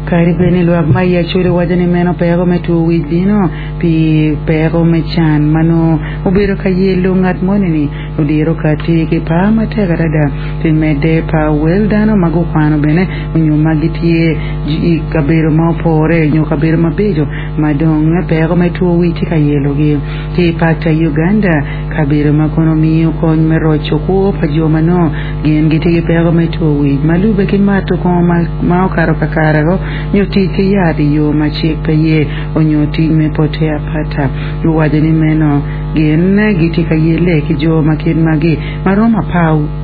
Kadi bed ni lwak ma i Acholi waco ni meno peko me two wic bino pi peko me can ma nongo obedo ka yelo ngat moni-ni, ludiro kati ki par matek adada pi medde pa wel dano ma gukwano bene nyo ma gitye i kabedo ma opore nyo kabedo mabeco ma dong peko me two wic tye ka yelogi. Ki i Pakta Uganda, kabedo ma kono miyo kony me roco kwo pa jo ma nongo gin gitye ki peko me two wic ma lubbe ki mato kongo ma okato kakare-o nyo tic ki yat i yo ma cik pe ye onyo tic me pote apata. Guwaco ni meno gin gitye ka yelle ki jo ma kit magi ma romo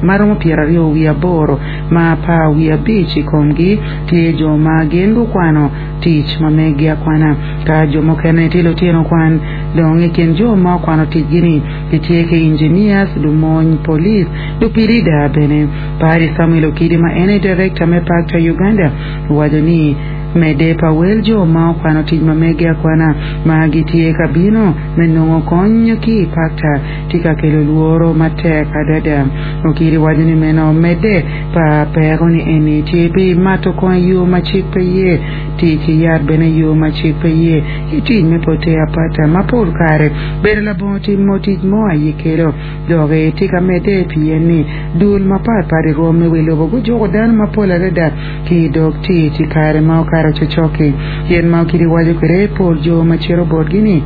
ma romo pyeraryo wiye aboro ma apar wiye abic i komgi tye jo ma gin gukwano tic ma meggi akwana ka jo mukene tye lutino kwan. Dong i kin jo ma okwano ticgi-ni gitye ki engineers, lumony, police, lupilida bene. Padi Samuel Okidi ma en aye Director me Pakta Uganda owaco ni medde pa wel jo ma okwano tic ma meggi akwana ma gitye ka bino me nongo kony ki i Pakta tye ka kelo lworo matek adada. Okidi waco ni meno medde pa peko ni eni tye pi mato kongo i yo ma cik pe ye, tic ki yat bene i yo ma cik pe ye, ki tic me pote apata ma pol kare bedo labongo timo tic mo aye kelo. Dok tye ka medde pien ni dul mapat pat i rwom me wi lobo gujuko dano mapol adada ki i dog tic i kare ma okato cocok-ki. Gin ma Okidi waco kwede pol jo ma cito botgi-ni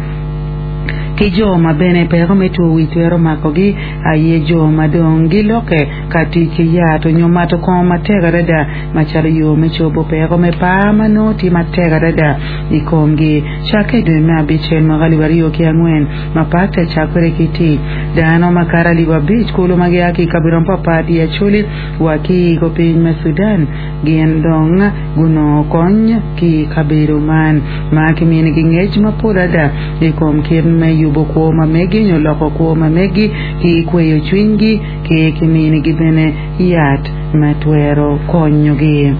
ki jo ma bene peko me two wic twero makogi aye jo ma dong gilokke ka tic ki yat onyo mato kongo matek adada macalo yo me cobo peko me par ma nongo tye matek adada i komgi. Cakke i dwe me abicel mwaka 2004 ma Patta cakwede ki tic, dano makato 5000 kulu ma gia ki i kabedo mapapat i Acholi wa ki i kupiny me Sudan gin dong gunongo kony ki i kabedo man ma kiminigi ngec mapol ada i kom kit me yubo kwo ma megi nyo loko kwo ma megi ki kweyo cwinygi ki kiminigi bene yat ma twero konyogi.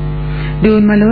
Dul ma loyo.